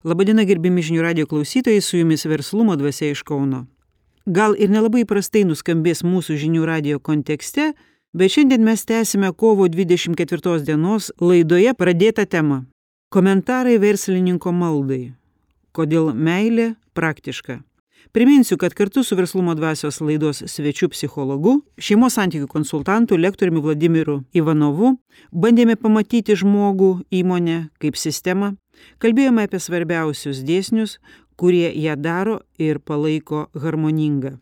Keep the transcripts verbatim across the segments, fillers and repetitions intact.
Labadiena, gerbiami žinių radijo klausytojai, su jumis Verslumo dvasia iš Kauno. Gal ir nelabai prastai nuskambės mūsų žinių radijo kontekste, bet šiandien mes tęsime kovo dvidešimt ketvirtos dienos laidoje pradėtą temą. Komentarai verslininko maldai. Kodėl meilė praktiška. Priminsiu, kad kartu su Verslumo dvasios laidos svečiu psichologu, šeimos santykių konsultantu, lektoriumi Vladimiru Ivanovu bandėme pamatyti žmogų, įmonę kaip sistemą. Kalbėjome apie svarbiausius dėsnius, kurie ją daro ir palaiko harmoningą.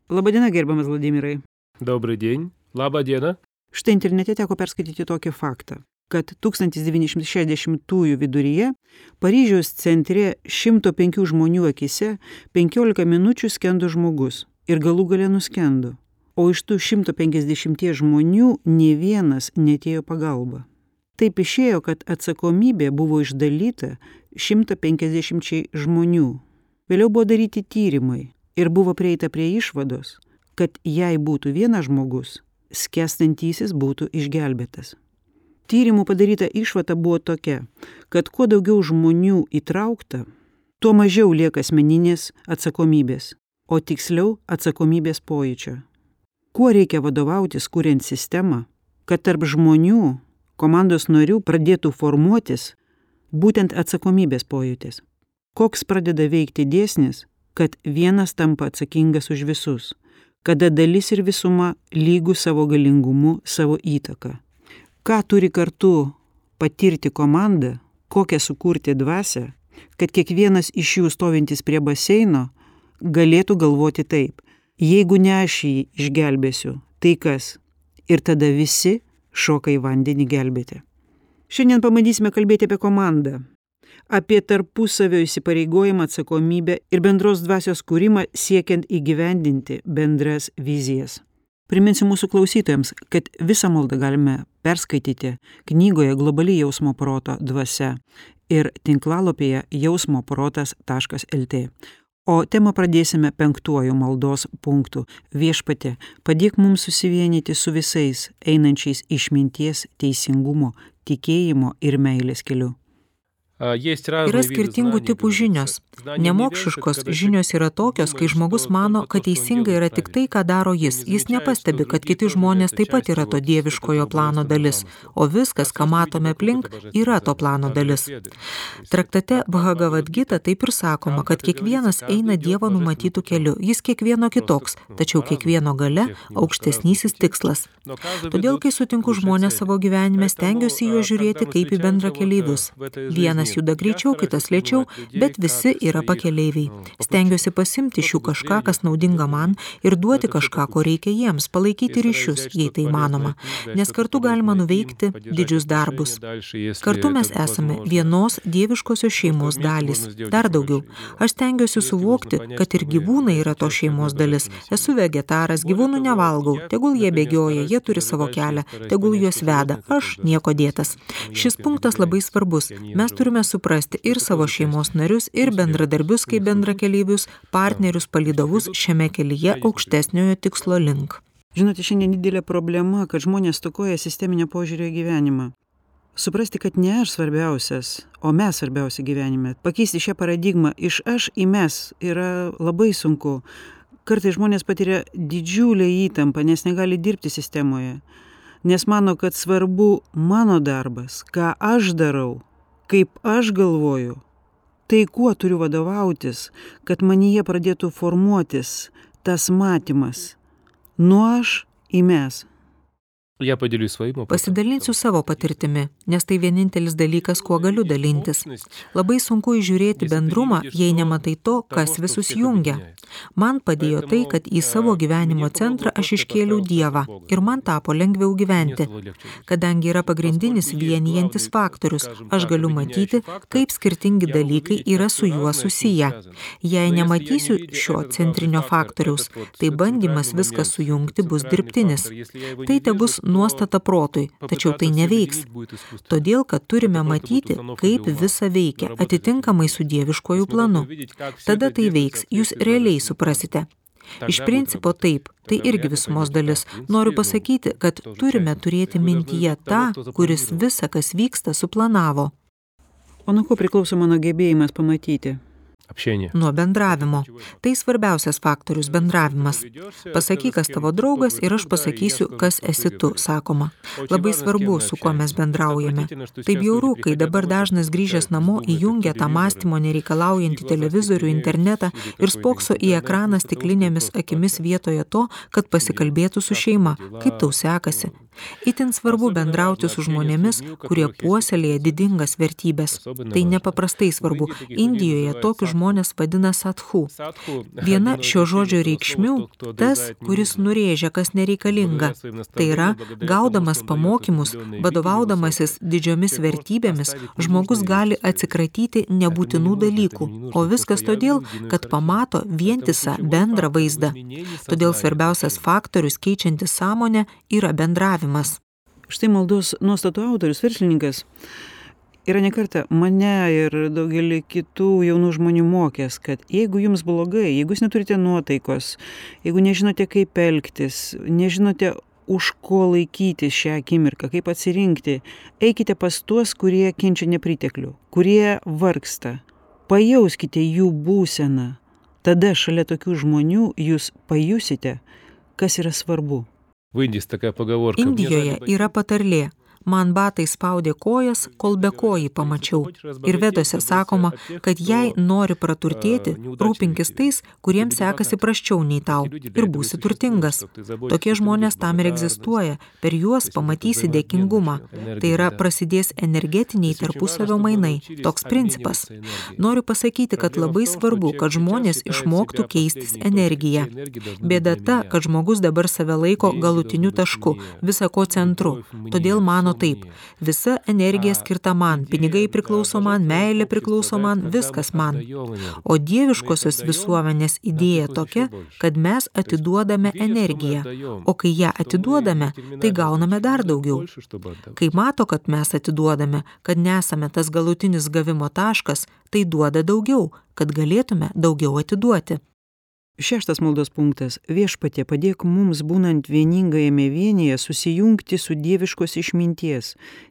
Labadiena, gerbiamas Vladimirai. Добрый день. Labą dieną. Štai internete teko perskaityti tokį faktą, kad tūkstantis devyni šimtai šešiasdešimtųjų viduryje Paryžiaus centre šimto penkių žmonių akise penkiolika minučių skendo žmogus ir galų gale nuskendo, o iš tų šimto penkiasdešimties žmonių nė vienas neatėjo pagalba. Taip išėjo, kad atsakomybė buvo išdalyta šimto penkiasdešimčiai žmonių. Vėliau buvo daryti tyrimai ir buvo prieita prie išvados, kad jei būtų vienas žmogus, skęstantysis būtų išgelbėtas. Tyrimų padaryta išvada buvo tokia, kad kuo daugiau žmonių įtraukta, tuo mažiau lieka asmeninės atsakomybės, o tiksliau atsakomybės pojūčio. Kuo reikia vadovautis, kuriant sistemą, kad tarp žmonių, komandos narių pradėtų formuotis būtent atsakomybės pojūtis. Koks pradeda veikti dėsnis, kad vienas tampa atsakingas už visus, kada dalis ir visuma lygų savo galingumu, savo įtaką. Ką turi kartu patirti komanda, kokią sukurti dvasią, kad kiekvienas iš jų stovintis prie baseino galėtų galvoti taip: jeigu ne aš jį išgelbėsiu, tai kas? Ir tada visi šoka į vandenį gelbėti. Šiandien pabandysime kalbėti apie komandą, apie tarpusavio įsipareigojimą, atsakomybę ir bendros dvasios kūrimą siekiant įgyvendinti bendras vizijas. Priminsiu mūsų klausytojams, kad visą maldą galime perskaityti knygoje Globali jausmo proto dvasia ir tinklalapyje jausmo protas taškas lt. O temą pradėsime penktuoju maldos punktu. Viešpatie, padėk mums susivienyti su visais einančiais išminties, teisingumo, tikėjimo ir meilės keliu. Yra skirtingų tipų žinios. Nemokšiškos žinios yra tokios, kai žmogus mano, kad teisinga yra tik tai, ką daro jis. Jis nepastebi, kad kiti žmonės taip pat yra to dieviškojo plano dalis, o viskas, ką matome aplink, yra to plano dalis. Traktate Bhagavad Gita taip ir sakoma, kad kiekvienas eina Dievo numatytų keliu. Jis kiekvieno kitoks, tačiau kiekvieno gale aukštesnysis tikslas. Todėl, kai sutinku žmonės savo gyvenime, stengiuosi juos žiūrėti kaip į bendrakeleivius. Vienas juda greičiau, kitas lėčiau, bet visi yra pakeleiviai. Stengiuosi pasimti iš jų kažką, kas naudinga man, ir duoti kažką, ko reikia jiems, palaikyti ryšius, jei tai manoma, nes kartu galima nuveikti didžius darbus. Kartu mes esame vienos dieviškosios šeimos dalys. Dar daugiau, aš stengiuosi suvokti, kad ir gyvūnai yra to šeimos dalis. Esu vegetaras, gyvūnų nevalgau, tegul jie bėgioja, jie turi savo kelią, tegul juos veda, aš nieko dėtas. Šis punktas labai svarbus. Mes turime suprasti ir savo šeimos narius, ir bendradarbius kaip bendrakeleivius, partnerius, palydovus šiame kelyje aukštesniojo tikslo link. Žinote, šiandien didelė problema, kad žmonės stokoja sisteminio požiūrio į gyvenimą. Suprasti, kad ne aš svarbiausias, o mes svarbiausia gyvenime. Pakeisti šią paradigmą iš aš į mes yra labai sunku. Kartais žmonės patiria didžiulę įtampą, nes negali dirbti sistemoje. Nes mano, kad svarbu mano darbas, ką aš darau, kaip aš galvoju, tai kuo turiu vadovautis, kad manyje pradėtų formuotis tas matymas nuo aš į mes. Pasidalinsiu savo patirtimi, nes tai vienintelis dalykas, kuo galiu dalintis. Labai sunku įžiūrėti bendrumą, jei nematai to, kas visus jungia. Man padėjo tai, kad į savo gyvenimo centrą aš iškėliau Dievą ir man tapo lengviau gyventi. Kadangi yra pagrindinis vienijantis faktorius, aš galiu matyti, kaip skirtingi dalykai yra su juo susiję. Jei nematysiu šio centrinio faktoriaus, tai bandymas viską sujungti bus dirbtinis. Tai tebus nuostata protui, tačiau tai neveiks. Todėl, kad turime matyti, kaip visa veikia, atitinkamai su dieviškoju planu. Tada tai veiks, jūs realiai suprasite. Iš principo taip, tai irgi visumos dalis. Noriu pasakyti, kad turime turėti mintyje tą, kuris visa, kas vyksta, suplanavo. O nuo ko priklauso mano gebėjimas pamatyti? Общение. Nuo bendravimo. Tai svarbiausias faktorius – bendravimas. Pasakyk, kas tavo draugas ir aš pasakysiu, kas esi tu, sakoma. Labai svarbu, su kuo mes bendraujame. Tai bjauru, kai dabar dažnas grįžęs namo įjungia tą mąstymo nereikalaujantį televizorių, internetą ir spokso į ekraną stiklinėmis akimis vietoje to, kad pasikalbėtų su šeima. Kaip tau sekasi? Itin svarbu bendrauti su žmonėmis, kurie puoselėja didingas vertybės. Tai nepaprastai svarbu. Indijoje tokius žmonės vadina sadhu. Viena šio žodžio reikšmių – tas, kuris nurėžia, kas nereikalinga. Tai yra, gaudamas pamokymus, vadovaudamasis didžiomis vertybėmis, žmogus gali atsikratyti nebūtinų dalykų, o viskas todėl, kad pamato vientisą bendrą vaizdą. Todėl svarbiausias faktorius keičiantis sąmonę yra bendravimas. Štai maldos nuostatų autorius, verslininkas, yra ne kartą mane ir daugelį kitų jaunų žmonių mokęs, kad jeigu jums blogai, jeigu jūs neturite nuotaikos, jeigu nežinote kaip elgtis, nežinote už ko laikyti šią akimirką, kaip atsirinkti, eikite pas tuos, kurie kenčia nepriteklių, kurie vargsta. Pajauskite jų būseną. Tada šalia tokių žmonių jūs pajusite, kas yra svarbu. Indijoje yra patarlė. Man batai spaudė kojas, kol be kojį pamačiau. Ir vedose sakoma, kad jei nori praturtėti, rūpinkis tais, kuriems sekasi prasčiau nei tau, ir būsi turtingas. Tokie žmonės tam ir egzistuoja, per juos pamatysi dėkingumą. Tai yra prasidės energetiniai tarpusavio mainai, toks principas. Noriu pasakyti, kad labai svarbu, kad žmonės išmoktų keistis energiją. Bėda ta, kad žmogus dabar save laiko galutiniu tašku, visa ko centru. Todėl mano taip, visa energija skirta man, pinigai priklauso man, meilė priklauso man, viskas man. O dieviškosios visuomenės idėja tokia, kad mes atiduodame energiją, o kai ją atiduodame, tai gauname dar daugiau. Kai mato, kad mes atiduodame, kad nesame tas galutinis gavimo taškas, tai duoda daugiau, kad galėtume daugiau atiduoti. Šeštas maldos punktas. Viešpatie, padėk mums, būnant vieningajame vienyje, susijungti su dieviškos išminties,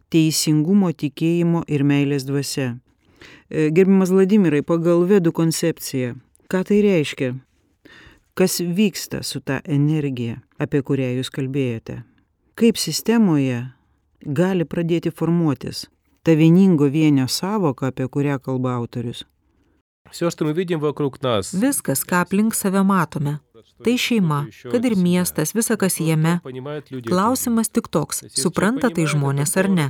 teisingumo, tikėjimo ir meilės dvasia. Gerbiamas Vladimirai, pagal vedų koncepciją, ką tai reiškia? Kas vyksta su ta energija, apie kurią jūs kalbėjote? Kaip sistemoje gali pradėti formuotis ta vieningo vienio sąvoka, apie kurią kalba autorius? Viskas, ką aplink save matome. Tai šeima, kad ir miestas, visa kas jame. Klausimas tik toks, supranta tai žmonės ar ne.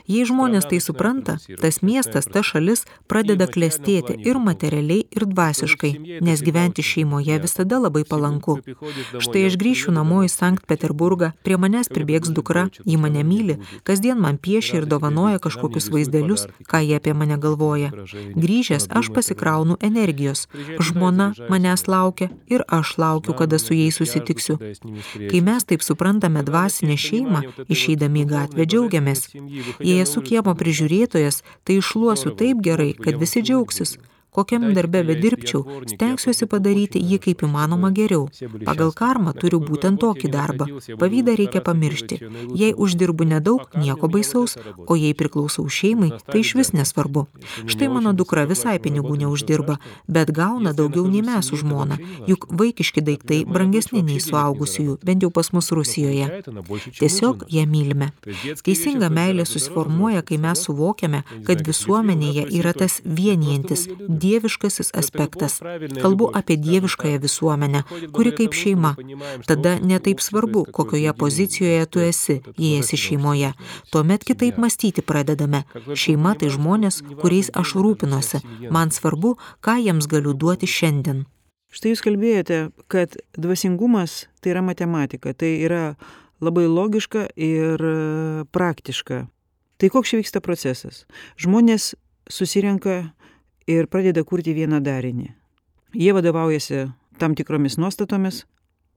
Jei žmonės tai supranta, tas miestas, ta šalis pradeda klestėti ir materialiai, ir dvasiškai, nes gyventi šeimoje visada labai palanku. Štai aš grįšiu namo į Sankt Peterburgą, prie manęs pribėgs dukra, ji mane myli, kasdien man piešia ir dovanoja kažkokius vaizdelius, ką jie apie mane galvoja. Grįžęs aš pasikraunu energijos, žmona manęs laukia ir aš laukiu, kada su jais susitiksiu. Kai mes taip suprantame dvasinę šeimą, išeidami į gatvę džiaugiamės. Jei esu kiemo prižiūrėtojas, tai iššluosiu taip gerai, kad visi džiaugsis. Kokiam darbe bedirbčiau, stengsiuosi padaryti jį kaip įmanoma geriau. Pagal karmą turiu būtent tokį darbą. Pavydą reikia pamiršti. Jei uždirbu nedaug, nieko baisaus, o jei priklausau šeimai, tai išvis nesvarbu. Štai mano dukra visai pinigų neuždirba, bet gauna daugiau nei mes su žmona, juk vaikiški daiktai brangesni nei suaugusiųjų, bent jau pas mus Rusijoje. Tiesiog ją mylime. Teisinga meilė susiformuoja, kai mes suvokiame, kad visuomenėje yra tas vienijantis, dieviškasis aspektas. Kalbu apie dieviškąją visuomenę, kuri kaip šeima. Tada netaip svarbu, kokioje pozicijoje tu esi, jei esi šeimoje. Tuomet kitaip mąstyti pradedame. Šeima tai žmonės, kuriais aš rūpinuosi. Man svarbu, ką jiems galiu duoti šiandien. Štai jūs kalbėjote, kad dvasingumas tai yra matematika, tai yra labai logiška ir praktiška. Tai koks čia vyksta procesas? Žmonės susirenka ir pradeda kurti vieną darinį. Jie vadovaujasi tam tikromis nuostatomis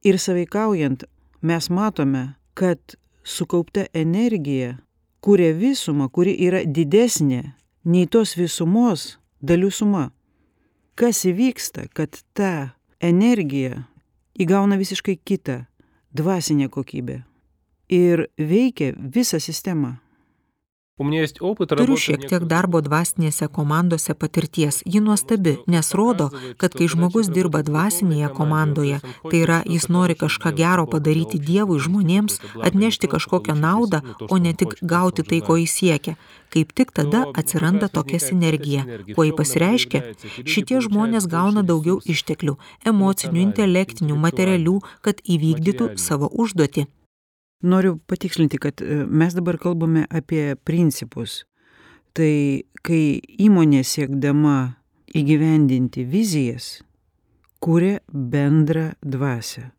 ir sąveikaujant mes matome, kad sukaupta energija kuria visumą, kuri yra didesnė nei tos visumos dalių suma. Kas įvyksta, kad ta energija įgauna visiškai kitą dvasinę kokybę ir veikia visą sistemą. Turiu šiek tiek darbo dvasinėse komandose patirties. Ji nuostabi, nes rodo, kad kai žmogus dirba dvasinėje komandoje, tai yra, jis nori kažką gero padaryti Dievui, žmonėms, atnešti kažkokią naudą, o ne tik gauti tai, ko jis siekia. Kaip tik tada atsiranda tokia sinergija. Kuo jį pasireiškia, šitie žmonės gauna daugiau išteklių, emocinių, intelektinių, materialių, kad įvykdytų savo užduotį. Noriu patikslinti, kad mes dabar kalbame apie principus. Tai kai įmonė siekdama įgyvendinti vizijas, kuria bendrą dvasią.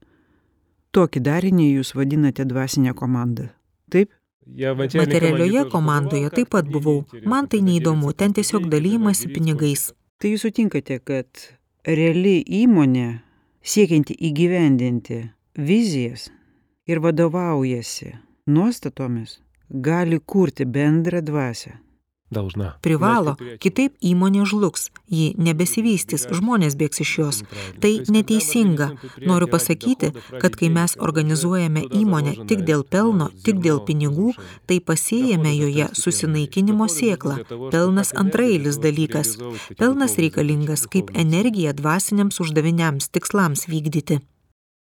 Tokį darinį jūs vadinate dvasinę komandą. Taip? Materialioje komandoje taip pat buvau. Man tai neįdomu, ten tiesiog dalymasi pinigais. Tai jūs sutinkate, kad reali įmonė, siekianti įgyvendinti vizijas ir vadovaujasi nuostatomis, gali kurti bendrą dvasią. Privalo, kitaip įmonė žlugs, ji nebesivystys, žmonės bėgs iš jos. Tai neteisinga. Noriu pasakyti, kad kai mes organizuojame įmonę tik dėl pelno, tik dėl pinigų, tai pasėjame joje susinaikinimo sėklą. Pelnas antraeilis dalykas. Pelnas reikalingas kaip energija dvasiniams uždaviniams, tikslams vykdyti.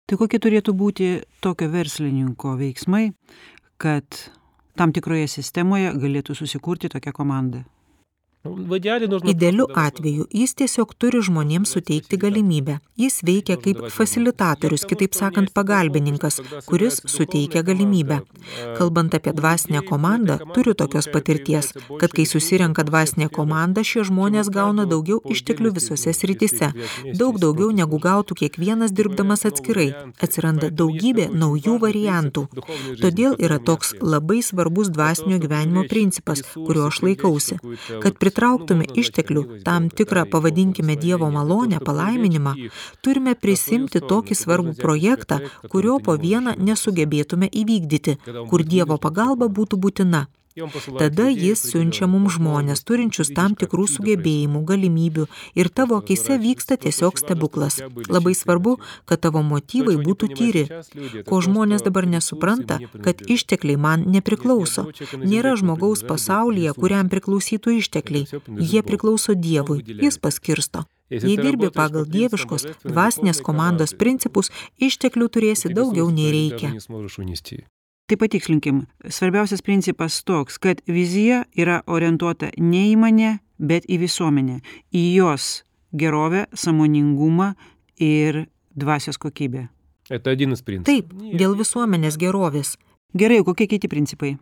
Tai kokie turėtų būti tokio verslininko veiksmai, kad tam tikroje sistemoje galėtų susikurti tokią komandą? Idealiu atveju jis tiesiog turi žmonėms suteikti galimybę. Jis veikia kaip fasilitatorius, kitaip sakant, pagalbininkas, kuris suteikia galimybę. Kalbant apie dvasinę komandą, turiu tokios patirties, kad kai susirenka dvasinė komanda, šie žmonės gauna daugiau išteklių visose srityse. Daug daugiau negu gautų kiekvienas dirbdamas atskirai. Atsiranda daugybė naujų variantų. Todėl yra toks labai svarbus dvasinio gyvenimo principas, kurio aš laikausi, kad pritrauktume išteklių, tam tikrą, pavadinkime Dievo malonę, palaiminimą, turime prisimti tokį svarbų projektą, kurio po vieną nesugebėtume įvykdyti, kur Dievo pagalba būtų būtina. Tada jis siunčia mums žmonės, turinčius tam tikrų sugebėjimų, galimybių ir tavo akyse vyksta tiesiog stebuklas. Labai svarbu, kad tavo motyvai būtų tyri. Ko žmonės dabar nesupranta, kad ištekliai man nepriklauso. Nėra žmogaus pasaulyje, kuriam priklausytų ištekliai. Jie priklauso Dievui, jis paskirsto. Jei dirbi pagal dieviškos dvasinės komandos principus, išteklių turėsi daugiau nei reikia. Tai patikslinkim, svarbiausias principas toks, kad vizija yra orientuota ne į mane, bet į visuomenę, į jos gerovę, sąmoningumą ir dvasios kokybę. Taip, dėl visuomenės gerovės. Gerai, kokie kiti principai?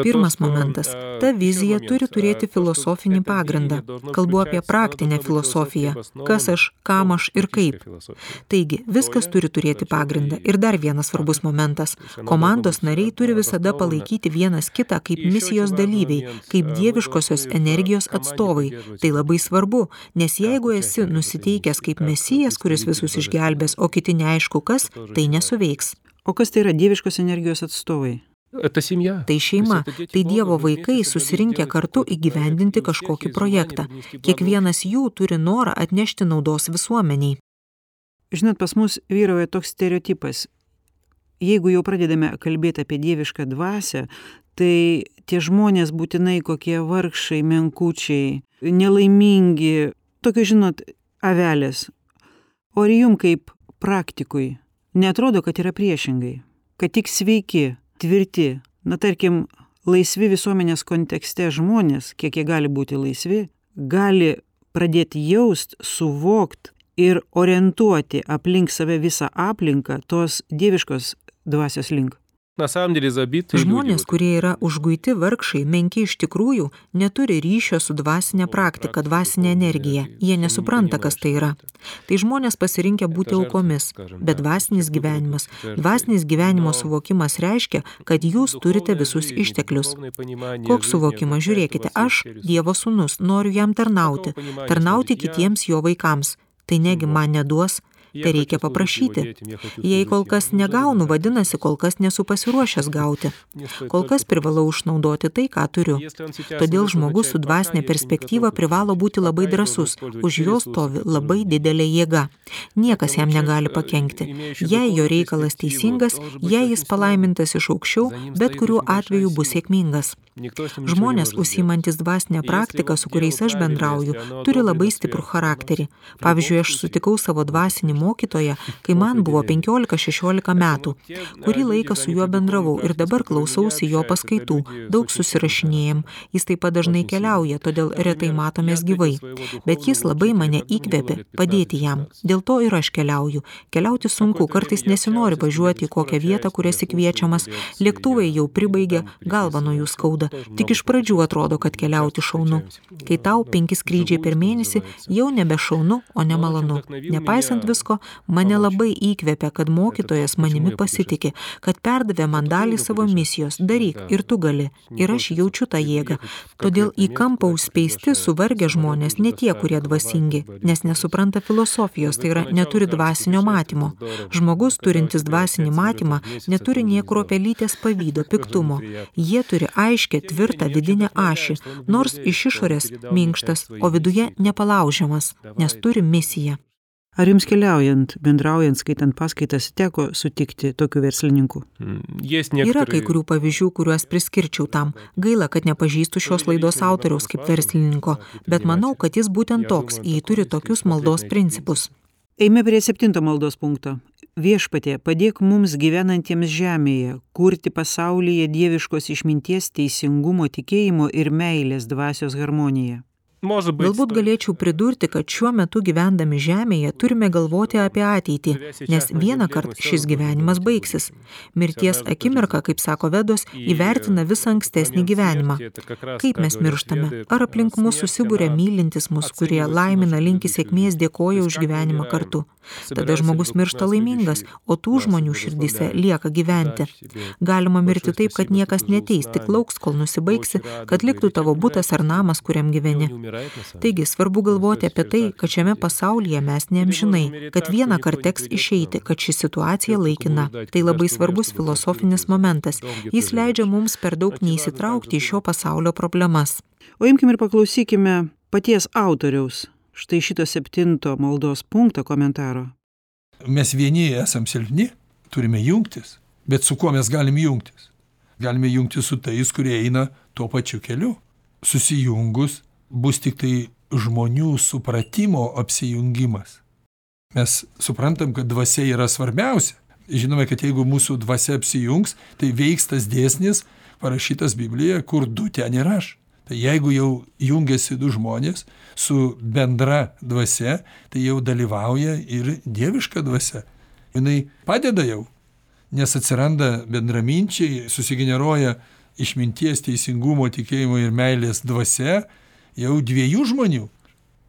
Pirmas momentas. Ta vizija turi turėti filosofinį pagrindą. Kalbu apie praktinę filosofiją. Kas aš, kam aš ir kaip. Taigi, viskas turi turėti pagrindą. Ir dar vienas svarbus momentas. Komandos nariai turi visada palaikyti vienas kitą kaip misijos dalyviai, kaip dieviškosios energijos atstovai. Tai labai svarbu, nes jeigu esi nusiteikęs kaip mesijas, kuris visus išgelbės, o kiti neaišku kas, tai nesuveiks. O kas tai yra dieviškos energijos atstovai? Tai šeima, tai Dievo vaikai susirinkę kartu įgyvendinti kažkokį projektą. Kiekvienas jų turi norą atnešti naudos visuomeniai. Žinot, pas mus vyrauja toks stereotipas. Jeigu jau pradedame kalbėti apie dievišką dvasią, tai tie žmonės būtinai kokie vargšai, menkučiai, nelaimingi, tokie, žinot, avelės. O ir jum kaip praktikui neatrodo, kad yra priešingai, kad tik sveiki, tvirti, na tarkim, laisvi visuomenės kontekste žmonės, kiek jie gali būti laisvi, gali pradėti jaust, suvokt ir orientuoti aplink save visą aplinką tos dieviškos dvasios link. Žmonės, kurie yra užguiti vargšai, menki iš tikrųjų, neturi ryšio su dvasinė praktika, dvasinė energija. Jie nesupranta, kas tai yra. Tai žmonės pasirinkę būti aukomis, bet dvasinis gyvenimas. Dvasinis gyvenimo suvokimas reiškia, kad jūs turite visus išteklius. Koks suvokimas? Žiūrėkite, aš, Dievo sūnus, noriu jam tarnauti, tarnauti kitiems jo vaikams. Tai negi man neduos, Tai reikia paprašyti. Jei kol kas negaunu, vadinasi, kol kas nesu pasiruošęs gauti. Kol kas privalau išnaudoti tai, ką turiu. Todėl žmogus su dvasinė perspektyva privalo būti labai drąsus. Už jo stovi labai didelė jėga. Niekas jam negali pakenkti. Jei jo reikalas teisingas, jei jis palaimintas iš aukščiau, bet kuriuo atveju bus sėkmingas. Žmonės, užsiimantis dvasinę praktiką, su kuriais aš bendrauju, turi labai stiprų charakterį. Pavyzdžiui, aš sutikau savo dvasinį mokytoją, kai man buvo penkiolika šešiolika metų. Kurį laiką su juo bendravau ir dabar klausausi jo paskaitų, daug susirašinėjom. Jis taip pat dažnai keliauja, todėl retai matomės gyvai. Bet jis labai mane įkvėpė padėti jam. Dėl to ir aš keliauju. Keliauti sunku, kartais nesinori važiuoti į kokią vietą, kur esi kviečiamas. Lėktuvai jau pribaigė, galva nuo jų skauda. Tik iš pradžių atrodo, kad keliauti šaunu. Kai tau penki skrydžiai per mėnesį, jau nebe šaunu, o nemalonu. Nepaisant visko, mane labai įkvėpė, kad mokytojas manimi pasitikė, kad perdavė man dalį savo misijos. Daryk, ir tu gali. Ir aš jaučiu tą jėgą. Todėl į kampą užspeisti suvargę žmonės ne tie, kurie dvasingi, nes nesupranta filosofijos, tai yra neturi dvasinio matymo. Žmogus, turintis dvasinį matymą, neturi nie kruopelytės pavydo, piktumo. Jie turi aiškę, tvirtą vidinę ašį, nors iš išorės minkštas, o viduje nepalaužiamas, nes turi misiją. Ar jums keliaujant, bendraujant, skaitant paskaitas, teko sutikti tokių verslininkų? Yra kai kurių pavyzdžių, kuriuos priskirčiau tam. Gaila, kad nepažįstu šios laidos autoriaus kaip verslininko, bet manau, kad jis būtent toks, jei turi tokius maldos principus. Eime prie septinto maldos punkto. Viešpatie, padėk mums gyvenantiems žemėje, kurti pasaulyje dieviškos išminties, teisingumo, tikėjimo ir meilės dvasios harmoniją. Galbūt galėčiau pridurti, kad šiuo metu gyvendami žemėje turime galvoti apie ateitį, nes vieną kartą šis gyvenimas baigsis. Mirties akimirka, kaip sako Vedos, įvertina visą ankstesnį gyvenimą. Kaip mes mirštame? Ar aplink mus susibūrė mylintis mus, kurie laimina, linki sėkmės, dėkoja už gyvenimą kartu? Tada žmogus miršta laimingas, o tų žmonių širdyse lieka gyventi. Galima mirti taip, kad niekas neteis, tik lauks, kol nusibaigsi, kad liktų tavo butas ar namas, kuriam gyveni. Taigi, svarbu galvoti apie tai, kad šiame pasaulyje mes neamžinai, kad vieną kartą teks išeiti, kad ši situacija laikina. Tai labai svarbus filosofinis momentas. Jis leidžia mums per daug neįsitraukti į šio pasaulio problemas. O imkime ir paklausykime paties autoriaus. Štai šito septinto maldos punkto komentaro. Mes vieni esam silpni, turime jungtis, bet su kuo mes galim jungtis? Galime jungtis su tais, kurie eina tuo pačiu keliu. Susijungus bus tik tai žmonių supratimo apsijungimas. Mes suprantam, kad dvasia yra svarbiausia. Žinome, kad jeigu mūsų dvasia apsijungs, tai veiks tas dėsnis parašytas Biblijoje, kur du ten ir aš. Tai jeigu jau jungiasi du žmonės su bendra dvasia, tai jau dalyvauja ir dieviška dvasia. Jinai padeda jau, nes atsiranda bendraminčiai, susigeneruoja išminties, teisingumo, tikėjimo ir meilės dvasia jau dviejų žmonių.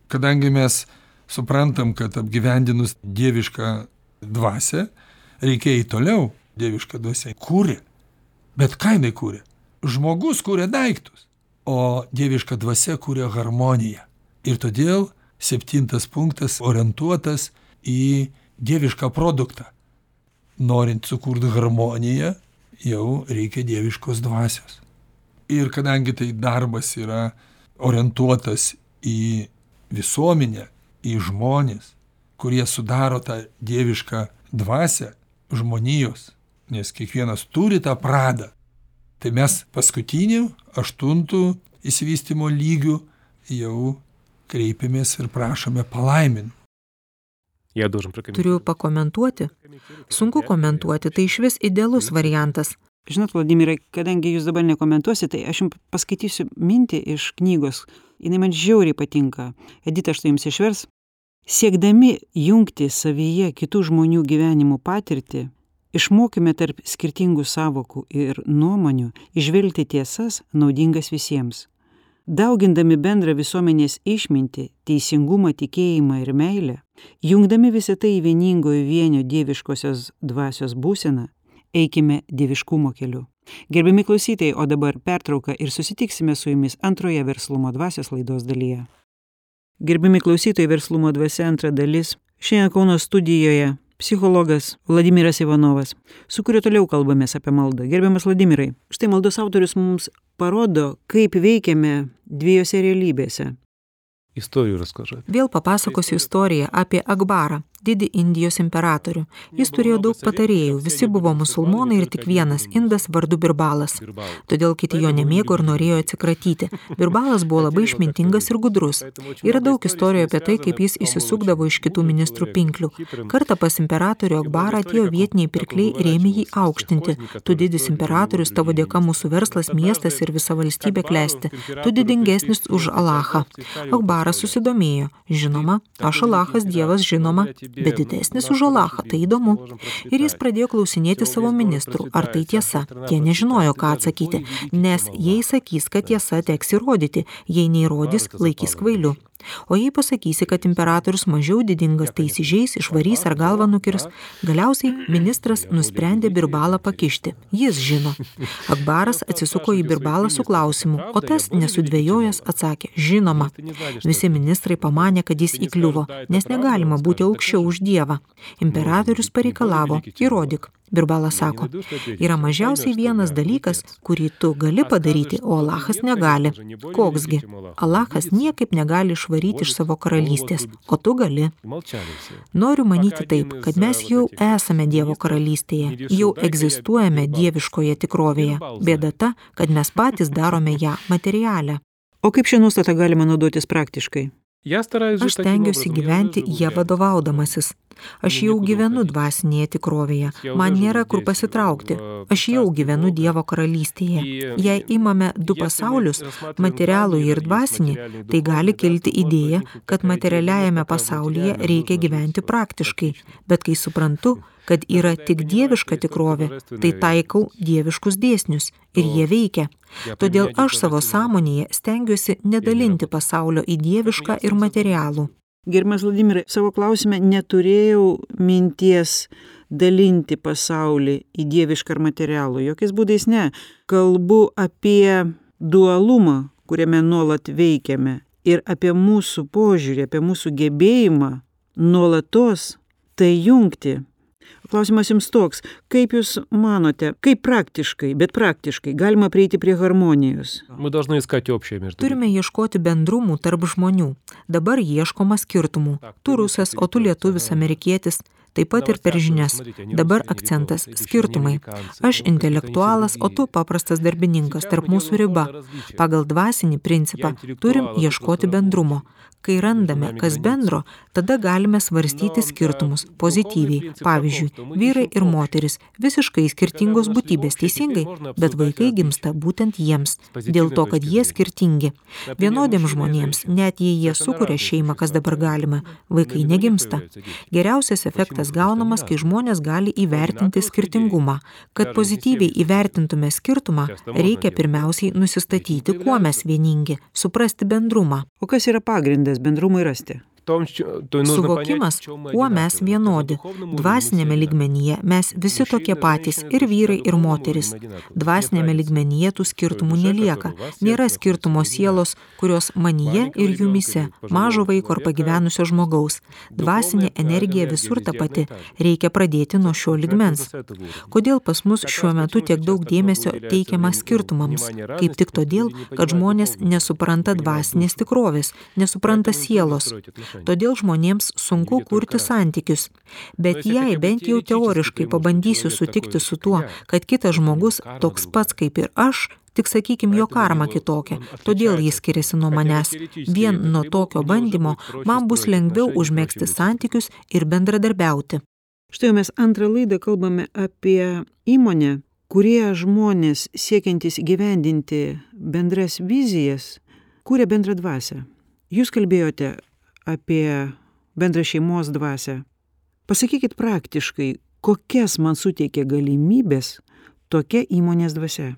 Kadangi mes suprantam, kad apgyvendinus dievišką dvasią, reikia į toliau dievišką dvasią. Kūrė. Bet ką jinai kūrė? Žmogus kūrė daiktus. O dieviška dvasia kūrė harmoniją. Ir todėl septintas punktas orientuotas į dievišką produktą. Norint sukurti harmoniją, jau reikia dieviškos dvasios. Ir kadangi tai darbas yra orientuotas į visuomenę, į žmonės, kurie sudaro tą dievišką dvasią žmonijos, nes kiekvienas turi tą pradą, tai mes paskutinių, aštuntų išsivystymo lygių jau kreipiamės ir prašome palaiminti. Turiu pakomentuoti. Sunku komentuoti, tai išvis idealus variantas. Žinot, Vladimirai, kadangi jūs dabar nekomentuosite, tai aš jums paskaitysiu mintį iš knygos. Jinai man žiauriai patinka. Edita, štai jums išvers. Siekdami jungti savyje kitų žmonių gyvenimų patirtį, išmokime tarp skirtingų sąvokų ir nuomonių įžvelgti tiesas naudingas visiems. Daugindami bendrą visuomenės išmintį, teisingumą, tikėjimą ir meilę, jungdami visą tai į vieningojo vienio dieviškosios dvasios būseną, eikime dieviškumo keliu. Gerbiami klausytojai, o dabar pertrauka ir susitiksime su jumis antroje verslumo dvasios laidos dalyje. Gerbiami klausytojai, verslumo dvasia antra dalis. Šiandien Kauno studijoje psichologas Vladimiras Ivanovas, su kuriuo toliau kalbamės apie maldą. Gerbiamas Vladimirai, štai maldos autorius mums parodo, kaip veikiame dviejose realybėse. Историю расскажи. Vėl papasakosiu istoriją apie Akbarą, didį Indijos imperatorių. Jis turėjo daug patarėjų, visi buvo musulmonai ir tik vienas indas vardu Birbalas. Todėl kiti jo nemėgo ir norėjo atsikratyti. Birbalas buvo labai išmintingas ir gudrus. Yra daug istorijų apie tai, kaip jis įsisukdavo iš kitų ministrų pinklių. Kartą pas imperatorių Akbarą atėjo vietiniai pirkliai ir ėmė jį aukštinti. Tu didis imperatorius, tavo dėka mūsų verslas, miestas ir visa valstybė klesti. Tu didingesnis už Alachą. Akbaras susidomėjo. Žinoma, aš Alachas Dievas, žinoma, bet didesnis už Alachą, tai įdomu. Ir jis pradėjo klausinėti savo ministrų, ar tai tiesa. Tie nežinojo, ką atsakyti, nes jei sakys, kad tiesa, teks įrodyti, jei neįrodys, laikys kvailiu. O jei pasakysi, kad imperatorius mažiau didingas, tai įsižeis, išvarys ar galvą nukirs. Galiausiai ministras nusprendė Birbalą pakišti. Jis žino. Akbaras atsisuko į Birbalą su klausimu, o tas nesudvejojęs atsakė, žinoma. Visi ministrai pamanė, kad jis įkliuvo, nes negalima būti aukščiau už Dievą. Imperatorius pareikalavo, įrodyk. Birbalas sako, yra mažiausiai vienas dalykas, kurį tu gali padaryti, o Alachas negali. Koksgi? Alachas niekaip negali išvaryti iš savo karalystės, o tu gali. Noriu manyti taip, kad mes jau esame Dievo karalystėje, jau egzistuojame dieviškoje tikrovėje. Bėda ta, kad mes patys darome ją materialę. O kaip šią nuostatą galima naudotis praktiškai? Aš stengiuosi gyventi ją vadovaudamasis. Aš jau gyvenu dvasinėje tikrovėje. Man nėra kur pasitraukti. Aš jau gyvenu Dievo karalystėje. Jei imame du pasaulius, materialų ir dvasinį, tai gali kilti idėja, kad materialiajame pasaulyje reikia gyventi praktiškai. Bet kai suprantu, kad yra tik dieviška tikrovė, tai taikau dieviškus dėsnius ir jie veikia. Todėl aš savo sąmonėje stengiuosi nedalinti pasaulio į dievišką ir materialų. Gerbiamas Vladimirai, savo klausime neturėjau minties dalinti pasaulį į dievišką ir materialų. Jokiais būdais ne. Kalbu apie dualumą, kuriame nuolat veikiame, ir apie mūsų požiūrį, apie mūsų gebėjimą nuolatos tai jungti. Klausimas jums toks, kaip jūs manote, kaip praktiškai, bet praktiškai galima prieiti prie harmonijos? Turime ieškoti bendrumų tarp žmonių. Dabar ieškoma skirtumų. Tu rusas, o tu lietuvis, amerikietis. Taip pat ir per žinias. Dabar akcentas – skirtumai. Aš intelektualas, o tu paprastas darbininkas, tarp mūsų riba. Pagal dvasinį principą turim ieškoti bendrumo. Kai randame, kas bendro, tada galime svarstyti skirtumus pozityviai. Pavyzdžiui, vyrai ir moteris – visiškai skirtingos būtybės, teisingai, bet vaikai gimsta būtent jiems, dėl to, kad jie skirtingi. Vienodiems žmonėms, net jei jie sukuria šeimą, kas dabar galima, vaikai negimsta. Geriausias efektas gaunamas, kai žmonės gali įvertinti skirtingumą. Kad pozityviai įvertintume skirtumą, reikia pirmiausiai nusistatyti, kuo mes vieningi, suprasti bendrumą. O kas yra pagrindas bendrumui rasti? Suvokimas, kuo mes vienodi. Dvasinėme lygmenyje mes visi tokie patys, ir vyrai, ir moteris. Dvasinėme lygmenyje tų skirtumų nelieka. Nėra skirtumo sielos, kurios manyje ir jumyse, mažo vaiko ar pagyvenusio žmogaus. Dvasinė energija visur ta pati. Reikia pradėti nuo šio lygmens. Kodėl pas mus šiuo metu tiek daug dėmesio teikiama skirtumams? Kaip tik todėl, kad žmonės nesupranta dvasinės tikrovės, nesupranta sielos. Todėl žmonėms sunku kurti santykius. Bet jei bent jau teoriškai pabandysiu sutikti su tuo, kad kitas žmogus toks pats kaip ir aš, tik sakykim, jo karma kitokia, todėl jis skiriasi nuo manęs. Vien nuo tokio bandymo man bus lengviau užmegzti santykius ir bendradarbiauti. Štai mes antrą laidą kalbame apie įmonę, kurie žmonės siekiantys įgyvendinti bendras vizijas, kuria bendrą dvasią. Jūs kalbėjote apie bendrą šeimos dvasią. Pasakykit praktiškai, kokias man suteikia galimybės tokia įmonės dvasia.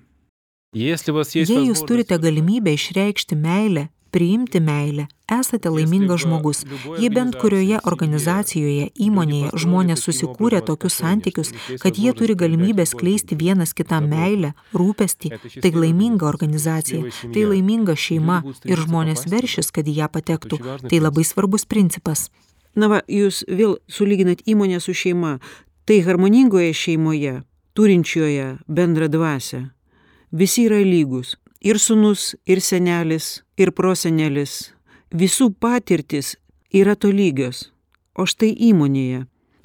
Jei jūs turite galimybę išreikšti meilę, priimti meilę, esate laimingas žmogus. Jei bent kurioje organizacijoje, įmonėje žmonės susikūrė tokius santykius, kad jie turi galimybę skleisti vienas kitam meilę, rūpestį, tai laiminga organizacija, tai laiminga šeima ir žmonės veršis, kad į ją patektų. Tai labai svarbus principas. Na va, jūs vėl sulyginat įmonę su šeima. Tai harmoningoje šeimoje, turinčioje bendrą dvasią, visi yra lygus. Ir sūnus, ir senelis, ir prosenelis. Visų patirtis yra tolygios. O štai įmonėje.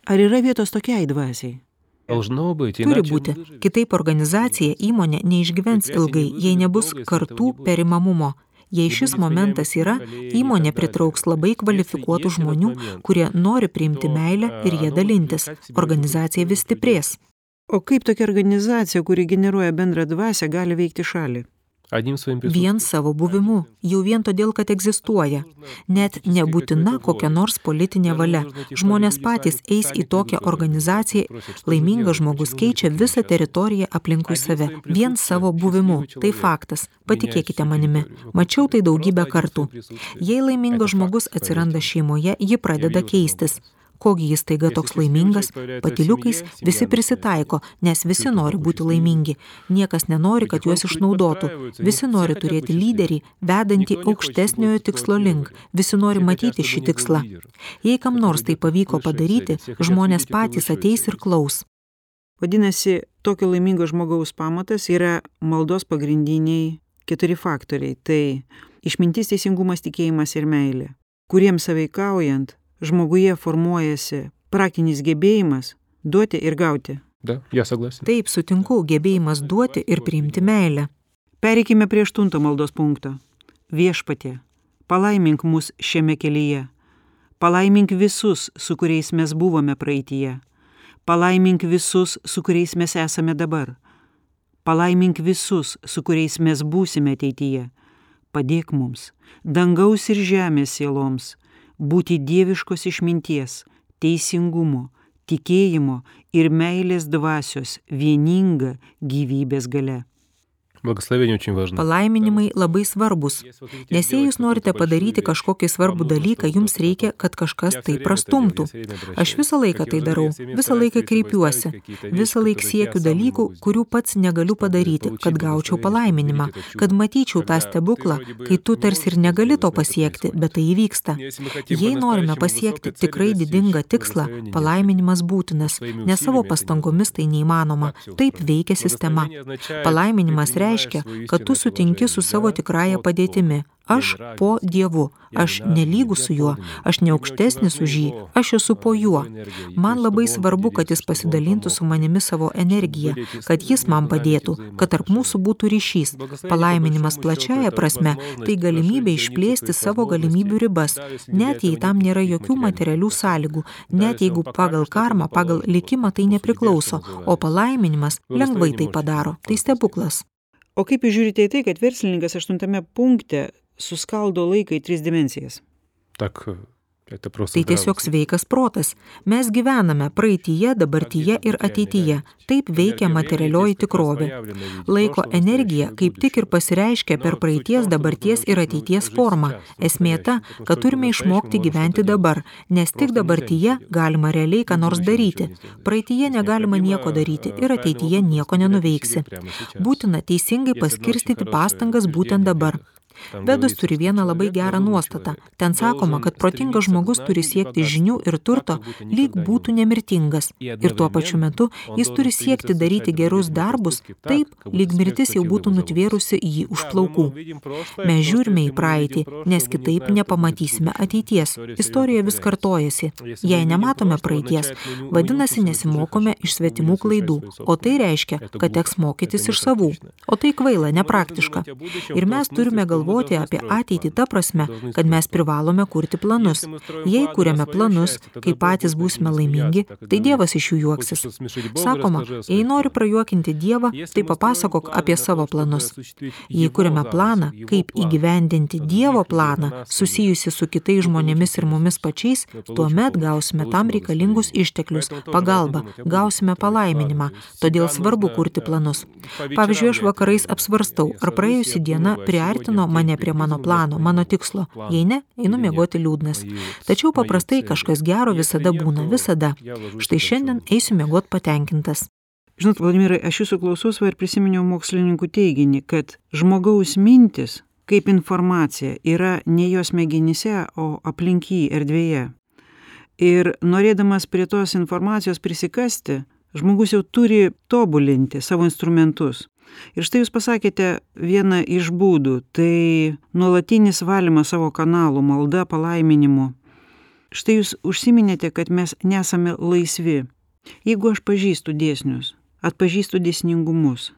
Ar yra vietos tokiai dvasiai? Turi būti. Kitaip organizacija, įmonė neišgyvens ilgai, jei nebus kartų perimamumo. Jei šis momentas yra, įmonė pritrauks labai kvalifikuotų žmonių, kurie nori priimti meilę ir ją dalintis. Organizacija vis stiprės. O kaip tokia organizacija, kuri generuoja bendrą dvasią, gali veikti šalį? Vien savo buvimu, jau vien todėl, kad egzistuoja. Net nebūtina kokia nors politinė valia. Žmonės patys eis į tokią organizaciją, laimingas žmogus keičia visą teritoriją aplinkui save. Vien savo buvimu. Tai faktas. Patikėkite manimi. Mačiau tai daugybę kartų. Jei laimingas žmogus atsiranda šeimoje, ji pradeda keistis. Kogi jis taiga toks laimingas, patyliukais visi prisitaiko, nes visi nori būti laimingi. Niekas nenori, kad juos išnaudotų. Visi nori turėti lyderį, vedantį aukštesniojo tikslo link. Visi nori matyti šį tikslą. Jei kam nors tai pavyko padaryti, žmonės patys ateis ir klaus. Vadinasi, tokio laimingo žmogaus pamatas yra maldos pagrindiniai keturi faktoriai. Tai išmintis, teisingumas, tikėjimas ir meilė, kuriems sąveikaujant žmoguje formuojasi praktinis gebėjimas duoti ir gauti. Da, я согласен. Taip, sutinku, gebėjimas duoti ir priimti meilę. Pereikime prie aštunto maldos punkto. Viešpatie, palaimink mus šiame kelyje. Palaimink visus, su kuriais mes buvome praeityje. Palaimink visus, su kuriais mes esame dabar. Palaimink visus, su kuriais mes būsime ateityje. Padėk mums, dangaus ir žemės sieloms, būti dieviškos išminties, teisingumo, tikėjimo ir meilės dvasios vieninga gyvybės galia. Благословение очень важно. Palaiminimai labai svarbus, nes jei jūs norite padaryti kažkokį svarbų dalyką, jums reikia, kad kažkas tai prastumtų. Aš visą laiką tai darau, visą laiką kreipiuosi, visą laiką siekiu dalykų, kurių pats negaliu padaryti, kad gaučiau palaiminimą, kad matyčiau tą stebuklą, kai tu tarsi ir negali to pasiekti, bet tai įvyksta. Jei norime pasiekti tikrai didingą tikslą, palaiminimas būtinas, nes savo pastangomis tai neįmanoma. Taip veikia sistema. Palaiminimas reiškia, reiškia, kad tu sutinki su savo tikrąja padėtimi. Aš po Dievu, aš nelygus su juo, aš ne aukštesnis už jį, aš esu po juo. Man labai svarbu, kad jis pasidalintų su manimi savo energiją, kad jis man padėtų, kad tarp mūsų būtų ryšys. Palaiminimas plačiaja prasme, tai galimybė išplėsti savo galimybių ribas, net jei tam nėra jokių materialių sąlygų, net jeigu pagal karmą, pagal likimą tai nepriklauso, o palaiminimas lengvai tai padaro. Tai stebuklas. O kaip jūs žiūrite į tai, kad verslininkas aštuntame punkte suskaldo laiką į tris dimensijas? Так, это просто Tai tiesiog sveikas protas. Mes gyvename praeityje, dabartyje ir ateityje. Taip veikia materialioji tikrovė. Laiko energija kaip tik ir pasireiškia per praeities, dabarties ir ateities formą. Esmė ta, kad turime išmokti gyventi dabar, nes tik dabartyje galima realiai ką nors daryti. Praeityje negalima nieko daryti ir ateityje nieko nenuveiksi. Būtina teisingai paskirstyti pastangas būtent dabar. Vedos turi vieną labai gerą nuostatą. Ten sakoma, kad protingas žmogus turi siekti žinių ir turto, lyg būtų nemirtingas. Ir tuo pačiu metu jis turi siekti daryti gerus darbus, taip, lyg mirtis jau būtų nutvėrusi jį už plaukų. Mes žiūrime į praeitį, nes kitaip nepamatysime ateities. Istorija vis kartojasi. Jei nematome praeities, vadinasi nesimokome iš svetimų klaidų, o tai reiškia, kad teks mokytis iš savų. O tai kvaila, nepraktiška. Ir mes turime galvoti apie ateitį ta prasme, kad mes privalome kurti planus. Jei kuriame planus, kai patys būsime laimingi, tai Dievas iš jų juoksis. Sakoma, jei nori prajuokinti Dievą, tai papasakok apie savo planus. Jei kuriame planą, kaip įgyvendinti Dievo planą, susijusi su kitais žmonėmis ir mumis pačiais, tuomet gausime tam reikalingus išteklius, pagalbą, gausime palaiminimą. Todėl svarbu kurti planus. Pavyzdžiui, aš vakarais apsvarstau, ar praėjusi diena priartino mane prie mano plano, mano tikslo. Jei ne, einu miegoti liūdnas. Tačiau paprastai kažkas gero visada būna, visada. Štai šiandien eisiu miegoti patenkintas. Žinot, Vladimirai, aš jūsų klausos ir prisiminiau mokslininkų teiginį, kad žmogaus mintis, kaip informacija, yra ne jos smegenyse, o aplink jį erdvėje. Ir norėdamas prie tos informacijos prisikasti, žmogus jau turi tobulinti savo instrumentus. Ir štai jūs pasakėte vieną iš būdų, tai nuolatinis valymas savo kanalų, malda, palaiminimu. Štai jūs užsiminėte, kad mes nesame laisvi. Jeigu aš pažįstu dėsnius, atpažįstu dėsningumus,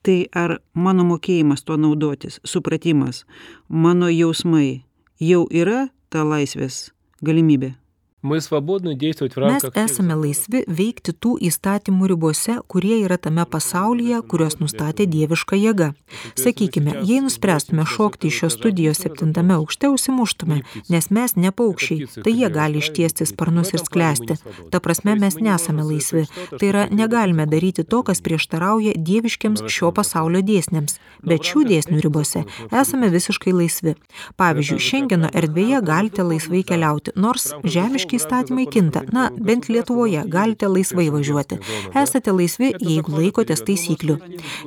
tai ar mano mokėjimas tuo naudotis, supratimas, mano jausmai jau yra ta laisvės galimybė? Mes esame laisvi veikti tų įstatymų ribose, kurie yra tame pasaulyje, kurios nustatė dieviška jėga. Sakykime, jei nuspręstume šokti iš šios studijos septintame aukšte, užsimuštume, nes mes ne paukščiai, tai jie gali ištiesti sparnus ir sklęsti. Ta prasme, mes nesame laisvi. Tai yra, negalime daryti to, kas prieštarauja dieviškiams šio pasaulio dėsniams. Bet šių dėsnių ribose esame visiškai laisvi. Pavyzdžiui, Šengeno erdvėje galite laisvai keliauti, nors žemiški įstatymai kinta. Na, bent Lietuvoje galite laisvai važiuoti. Esate laisvi, jeigu laikotės taisyklių.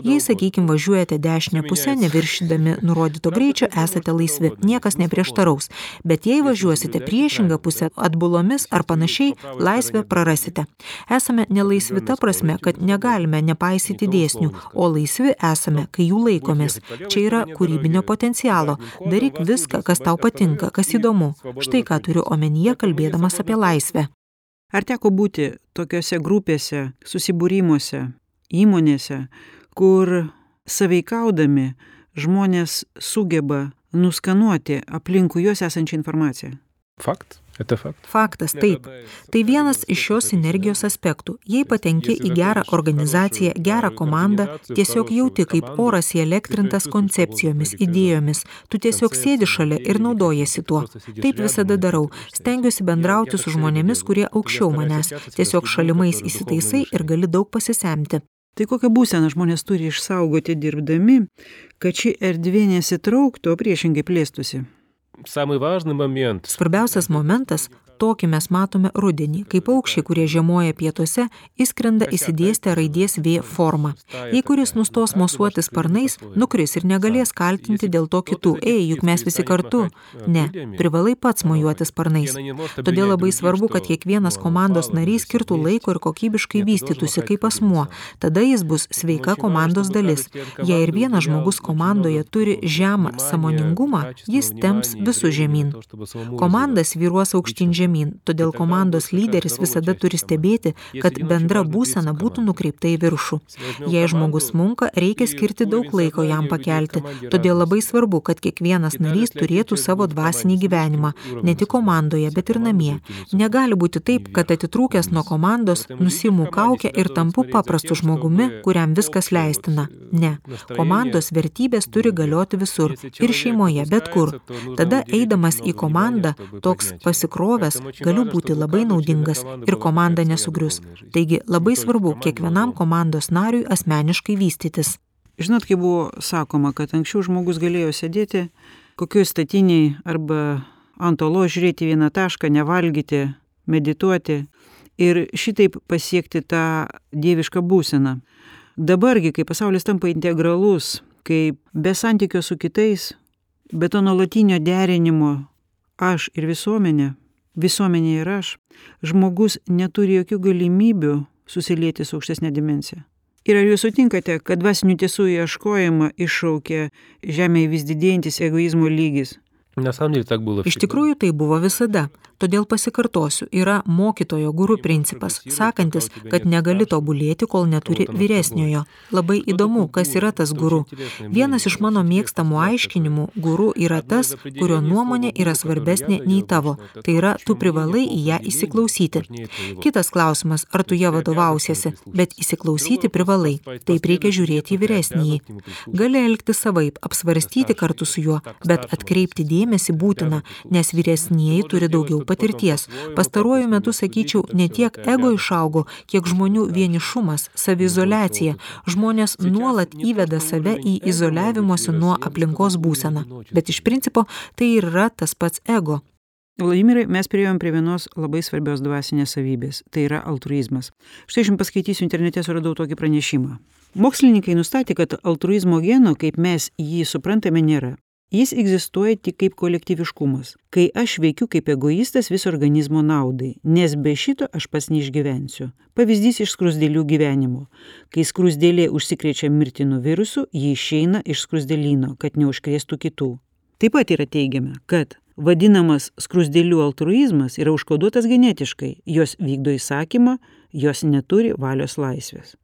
Jei, sakykime, važiuojate dešinę pusę, neviršydami nurodyto greičio, esate laisvi. Niekas neprieštaraus. Bet jei važiuosite priešingą pusę atbulomis ar panašiai, laisvę prarasite. Esame nelaisvi ta prasme, kad negalime nepaisyti dėsnių, o laisvi esame, kai jų laikomės. Čia yra kūrybinio potencialo. Daryk viską, kas tau patinka, kas įdomu. Štai ką turiu omenyje, kalbėdamas apie laisvę. Ar teko būti tokiose grupėse, susibūrimuose, įmonėse, kur sąveikaudami žmonės sugeba nuskanuoti aplinkui juos esančią informaciją? Fakt. Это факт. Faktas, taip. Tai vienas iš šios sinergijos aspektų. Jei patenki į gerą organizaciją, gerą komandą, tiesiog jauti, kaip oras įelektrintas koncepcijomis, idėjomis. Tu tiesiog sėdi šalia ir naudojasi tuo. Taip visada darau. Stengiuosi bendrauti su žmonėmis, kurie aukščiau manęs. Tiesiog šalimais įsitaisai ir gali daug pasisemti. Tai kokią būseną žmonės turi išsaugoti dirbdami, kad ši erdvė nesitrauktų, o priešingai plėstųsi? Самый важный момент. Svarbiausias momentas, tokį mes matome rudenį, kai paukščiai, kurie žiemoja pietuose, įskrenda įsidėstę raidės V formą. Jei kuris nustos mosuoti sparnais, nukris ir negalės kaltinti dėl to kitų. Ei, juk mes visi kartu. Ne, privalai pats mojuoti sparnais. Todėl labai svarbu, kad kiekvienas komandos narys skirtų laiko ir kokybiškai vystytųsi kaip asmuo. Tada jis bus sveika komandos dalis. Jei ir vienas žmogus komandoje turi žemą sąmoningumą, jis temps visus žemyn. Komandas vyruos aukštyn žemyn. Todėl komandos lyderis visada turi stebėti, kad bendra būsena būtų nukreipta į viršų. Jei žmogus smunka, reikia skirti daug laiko jam pakelti. Todėl labai svarbu, kad kiekvienas narys turėtų savo dvasinį gyvenimą, ne tik komandoje, bet ir namie. Negali būti taip, kad atitrūkęs nuo komandos, nusiimu kaukę ir tampu paprastu žmogumi, kuriam viskas leistina. Ne. Komandos vertybės turi galioti visur. Ir šeimoje, bet kur. Tada, eidamas į komandą, toks pasikrovęs, galiu būti labai naudingas ir komanda nesugrius. Taigi labai svarbu kiekvienam komandos nariui asmeniškai vystytis. Žinot, kaip buvo sakoma, kad anksčiau žmogus galėjo sėdėti kokioj statiniai arba ant olos žiūrėti vieną tašką, nevalgyti, medituoti ir šitaip pasiekti tą dievišką būseną. Dabargi, kai pasaulis tampa integralus, kai be santykio su kitais, be to nuolatinio derinimo aš ir visuomenė, visuomenė ir aš, žmogus neturi jokių galimybių susilieti su aukštesnė dimensija. Ir ar jūs sutinkate, kad dvasinių tiesų ieškojimą iššaukia žemėje vis didėjantis egoizmo lygis? Iš tikrųjų tai buvo visada. Todėl pasikartosiu, yra mokytojo guru principas, sakantis, kad negali tobulėti, kol neturi vyresniojo. Labai įdomu, kas yra tas guru. Vienas iš mano mėgstamų aiškinimų, guru yra tas, kurio nuomonė yra svarbesnė nei tavo. Tai yra, tu privalai į ją įsiklausyti. Kitas klausimas, ar tu ją vadovausiesi, bet įsiklausyti privalai. Taip reikia žiūrėti į vyresnįjį. Gali elgti savaip, apsvarstyti kartu su juo, bet atkreipti dėmesį būtina, nes vyresnieji turi daugiau patirties. Pastaruoju metu, sakyčiau, ne tiek ego išaugo, kiek žmonių vienišumas, saviizoliacija. Žmonės nuolat įveda save į izoliavimosi nuo aplinkos būseną. Bet iš principo tai ir yra tas pats ego. Vladimirai, mes priėjom prie vienos labai svarbios dvasinės savybės. Tai yra altruizmas. Štai aš jums paskaitysiu, internete suradau tokį pranešimą. Mokslininkai nustatė, kad altruizmo geno, kaip mes jį suprantame, nėra. Jis egzistuoja tik kaip kolektyviškumas, kai aš veikiu kaip egoistas viso organizmo naudai, nes be šito aš pats neišgyvensiu. Pavyzdys iš skruzdėlių gyvenimo. Kai skruzdėlė užsikrečia mirtinu virusu, ji išeina iš skruzdėlyno, kad neužkrėstų kitų. Taip pat yra teigiama, kad vadinamas skruzdėlių altruizmas yra užkoduotas genetiškai, jos vykdo įsakymą, jos neturi valios laisvės.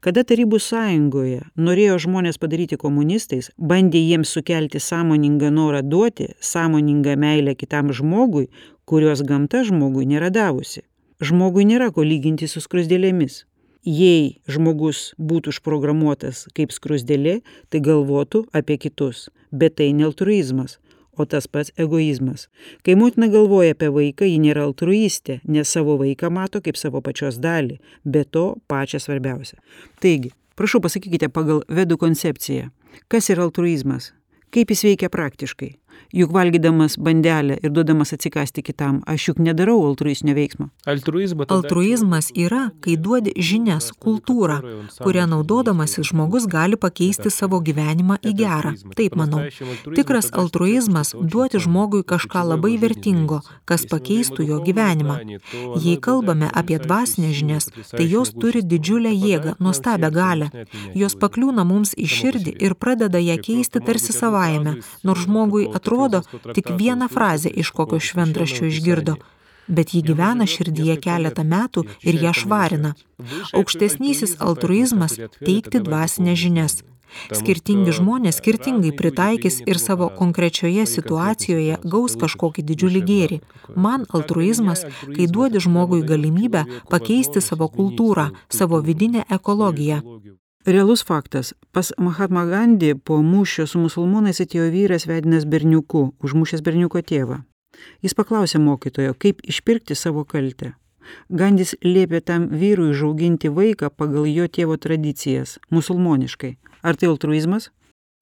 Kada Tarybų sąjungoje norėjo žmonės padaryti komunistais, bandė jiems sukelti sąmoningą norą duoti, sąmoningą meilę kitam žmogui, kurios gamta žmogui nėra davusi. Žmogui nėra ko lyginti su skruzdėlėmis. Jei žmogus būtų užprogramuotas kaip skruzdėlė, tai galvotų apie kitus, bet tai ne altruizmas, o tas pats egoizmas. Kai motina galvoja apie vaiką, ji nėra altruistė, nes savo vaiką mato kaip savo pačios dalį, be to pačią svarbiausią. Taigi, prašau pasakykite pagal vedų koncepciją, kas yra altruizmas, kaip jis veikia praktiškai. Juk valgydamas bandelę ir duodamas atsikąsti kitam, aš juk nedarau altruistinio veiksmo. Altruizmas yra, kai duodi žinias, kultūrą, kurią naudodamasis žmogus gali pakeisti savo gyvenimą į gerą. Taip manau. Tikras altruizmas duoti žmogui kažką labai vertingo, kas pakeistų jo gyvenimą. Jei kalbame apie dvasinės žinias, tai jos turi didžiulę jėgą, nuostabią galią. Jos pakliūna mums į širdį ir pradeda ją keisti tarsi savaime, nors žmogui atrodo tik vieną frazę iš kokio šventraščio išgirdo, bet ji gyvena širdyje keletą metų ir ją švarina. Aukštesnysis altruizmas teikti dvasinės žinias. Skirtingi žmonės skirtingai pritaikys ir savo konkrečioje situacijoje gaus kažkokį didžiulį gėrį. Man altruizmas, kai duodi žmogui galimybę pakeisti savo kultūrą, savo vidinę ekologiją. Realus faktas. Pas Mahatma Gandhi po mūšio su musulmonais atėjo vyras vedinas berniuku, užmušęs berniuko tėvą. Jis paklausė mokytojo, kaip išpirkti savo kaltę. Gandis liepė tam vyrui užauginti vaiką pagal jo tėvo tradicijas, musulmoniškai. Ar tai altruizmas?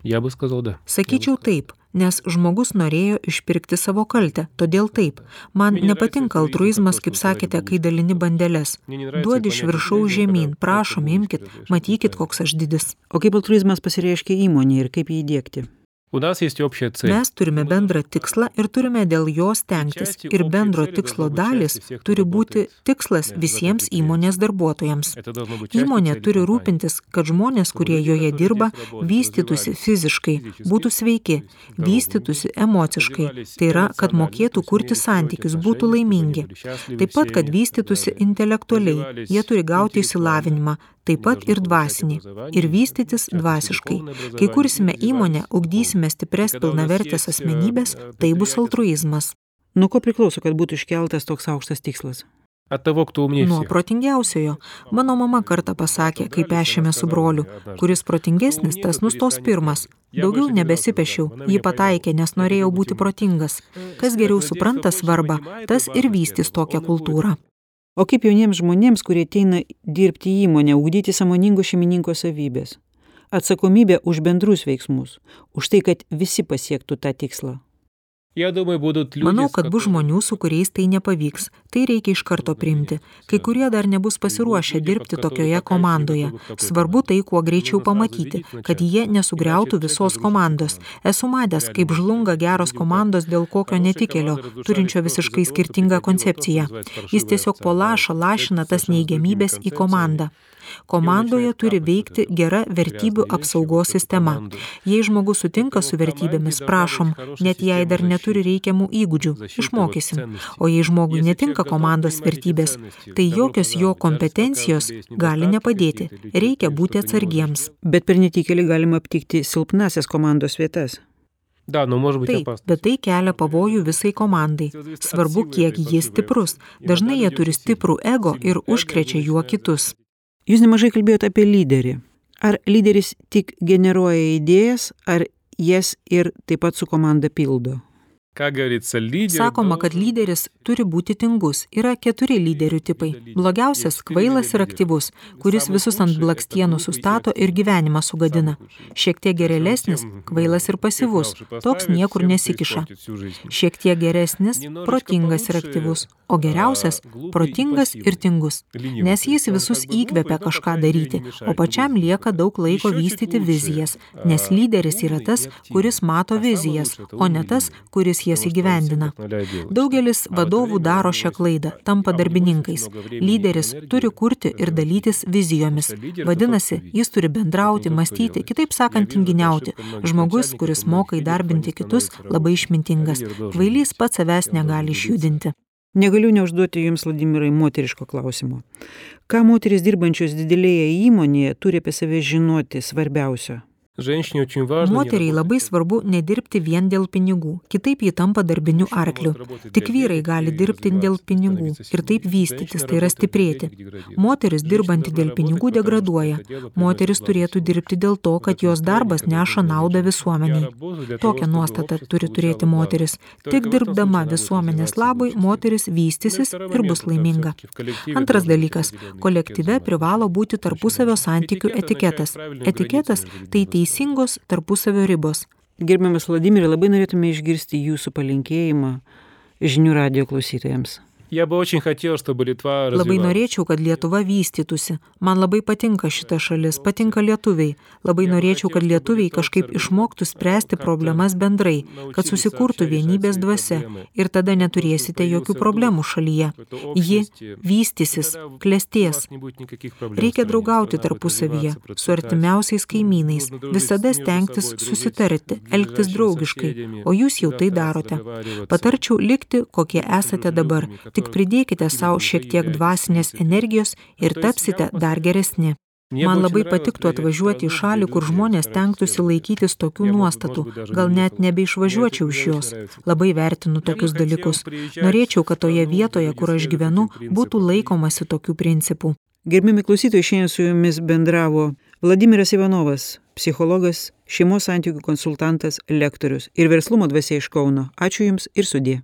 Я бы сказал, да. Sakyčiau taip, nes žmogus norėjo išpirkti savo kaltę, todėl taip. Man nepatinka altruizmas, kaip sakėte, kai dalini bandeles. Duodi iš viršaus žemyn, prašom, imkit, matykit, koks aš didis. O kaip altruizmas pasireiškia įmonėje ir kaip jį įdiegti? У нас есть общая цель. Mes turime bendrą tikslą ir turime dėl jo stengtis. Ir bendro tikslo dalis turi būti tikslas visiems įmonės darbuotojams. Įmonė turi rūpintis, kad žmonės, kurie joje dirba, vystytųsi fiziškai, būtų sveiki, vystytųsi emociškai. Tai yra, kad mokėtų kurti santykius, būtų laimingi. Taip pat, kad vystytųsi intelektualiai. Jie turi gauti išsilavinimą. Taip pat ir dvasinį, ir vystytis dvasiškai. Kai kursime įmonę, ugdysime stipres pilnavertės asmenybės, tai bus altruizmas. Nuo ko priklauso, kad būtų iškeltas toks aukštas tikslas? От того, кто умнее Nuo всех. protingiausiojo. Mano mama kartą pasakė, kai pešėme su broliu, kuris protingesnis, tas nustos pirmas. Daugiau nebesipešiau, jį pataikė, nes norėjau būti protingas. Kas geriau supranta svarbą, tas ir vystys tokią kultūrą. O kaip jauniems žmonėms, kurie ateina dirbti į įmonę, ugdyti sąmoningo šeimininko savybės? Atsakomybė už bendrus veiksmus, už tai, kad visi pasiektų tą tikslą. Я думаю, будут люди, Manau, с kad bus которыми- žmonių, su kuriais tai nepavyks. Tai reikia iš karto priimti. Kai kurie dar nebus pasiruošę dirbti tokioje komandoje. Svarbu tai kuo greičiau pamatyti, kad jie nesugriautų visos komandos. Esu matęs, kaip žlunga geros komandos dėl kokio netikėlio, turinčio visiškai skirtingą koncepciją. Jis tiesiog po lašą lašina tas neigiamybės į komandą. Komandoje turi veikti gera vertybių apsaugos sistema. Jei žmogus sutinka su vertybėmis, prašom, net jei dar neturi reikiamų įgūdžių, išmokysim. O jei žmogui netinka komandos vertybės, tai jokios jo kompetencijos gali nepadėti. Reikia būti atsargiems. Bet per netikėlį galima aptikti silpnasias komandos vietas. Да, но может быть Taip, опасно. bet tai kelia pavojų visai komandai. Svarbu, kiek jis stiprus. Dažnai jie turi stiprų ego ir užkrečia juo kitus. Jūs nemažai kalbėjote apie lyderį. Ar lyderis tik generuoja idėjas, ar jas ir taip pat su komanda pildo? Sakoma, kad lyderis turi būti tingus. Yra keturi lyderių tipai. Blogiausias – kvailas ir aktyvus, kuris visus ant blakstienų sustato ir gyvenimą sugadina. Šiek tiek geresnis – kvailas ir pasyvus, toks niekur nesikiša. Šiek tiek geresnis – protingas ir aktyvus, o geriausias – protingas ir tingus. Nes jis visus įkvepia kažką daryti, o pačiam lieka daug laiko vystyti vizijas, nes lyderis yra tas, kuris mato vizijas, o ne tas, kuris jas įgyvendina. Daugelis vadovų daro šią klaidą, tampa darbininkais. Lyderis turi kurti ir dalytis vizijomis. Vadinasi, jis turi bendrauti, mąstyti, kitaip sakant, tinginiauti. Žmogus, kuris moka įdarbinti kitus, labai išmintingas. Kvailys pats savęs negali išjudinti. Negaliu neužduoti jums, Vladimirai, moteriško klausimo. Ką moteris dirbančios didelėje įmonėje turi apie save žinoti svarbiausio? Moteriai labai svarbu nedirbti vien dėl pinigų, kitaip ji tampa darbiniu arkliu. Tik vyrai gali dirbti dėl pinigų ir taip vystytis, tai yra stiprėti. Moteris dirbanti dėl pinigų degraduoja. Moteris turėtų dirbti dėl to, kad jos darbas neša naudą visuomeniai. Tokią nuostatą turi turėti moteris. Tik dirbdama visuomenės labui, moteris vystysis ir bus laiminga. Antras dalykas – kolektyve privalo būti tarpusavio santykių etiketas. Etiketas – tai teisingos tarpusavio ribos. Gerbiamas Vladimirai, labai norėtume išgirsti jūsų palinkėjimą žinių radijo klausytojams. Labai norėčiau, kad Lietuva vystytųsi. Man labai patinka šita šalis, patinka lietuviai. Labai norėčiau, kad lietuviai kažkaip išmoktų spręsti problemas bendrai, kad susikurtų vienybės dvasia ir tada neturėsite jokių problemų šalyje. Ji vystysis, klestės. Reikia draugauti tarpusavyje, su artimiausiais kaimynais, visada stengtis susitarti, elgtis draugiškai, o jūs jau tai darote. Patarčiau likti, kokie esate dabar. Tik pridėkite savo šiek tiek dvasinės energijos ir tapsite dar geresni. Man labai patiktų atvažiuoti į šalį, kur žmonės stengtųsi laikytis tokių nuostatų, gal net nebeišvažiuočiau iš jos. Labai vertinu tokius dalykus. Norėčiau, kad toje vietoje, kur aš gyvenu, būtų laikomasi tokių principų. Gerbiami klausytojai, šiandien su jumis bendravo Vladimiras Ivanovas, psichologas, šeimos santykių konsultantas, lektorius ir verslumo dvasia iš Kauno. Ačiū jums ir sudie.